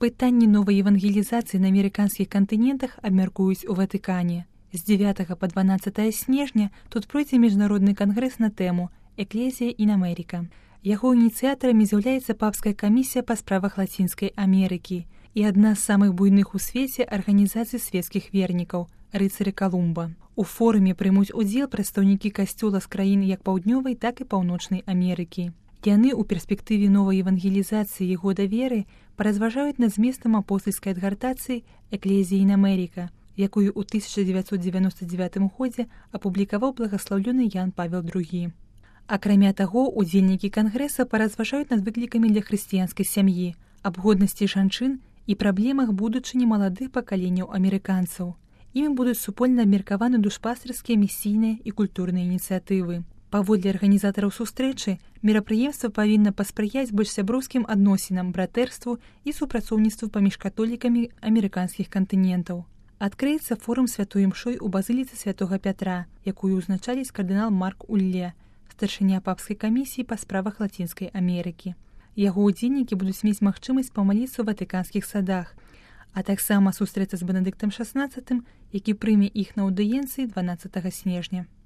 Пытанні новай евангелізацыі на амерыканскіх кантынентах абмяркуюць у Ватыкане. З 9 па 12 снежня тут пройдзе міжнародны кангрэс на тэму «Экклезія ін Америка». Яго ініцыятарамі з'яўляецца папская камісія па справах Лацінскай Амерыкі і адна з самых буйных у свеце арганізацый свецкіх вернікаў – рыцары Калумба. У форуме прымуць удзел прадстаўнікі касцёла з краін як паўднёвай, так і паўночнай Амерыкі. Яны ў перспектыве новай евангелізацыі і года веры паразважаюць над зместам апостальскай адгартацыі «Экклезія ін Америка», якую ў 1999 годзе апублікаваў благаслаўлёны Ян Павел II. Акрамя таго, удзельнікі кангрэса паразважаюць над выклікамі для хрысціянскай сям'і, аб годнасці жанчын і праблемах будучыні маладых пакаленняў амерыканцаў. Імі будуць супольна абмеркаваны душпастырскія, місійныя і культурныя ініцыятывы. Паводле арганізатараў сустрэчы, мерапрыемства павінна паспрыяць больш сяброўскім адносінам, братэрству і супрацоўніцтву паміж католікамі амерыканскіх кантынентаў. Адкрыецца форум святой імшой у базыліцы святога Пятра, якую ўзначаліць кардынал Марк Улле, старшыня папскай камісіі па справах Лацінскай Амерыкі. Яго ўдзельнікі будуць мець магчымасць памаліцца ў ватыканскіх садах, а таксама сустрэцца з Бенедыктам XVI, які прыме іх на аўдыенцыі 12 снежня.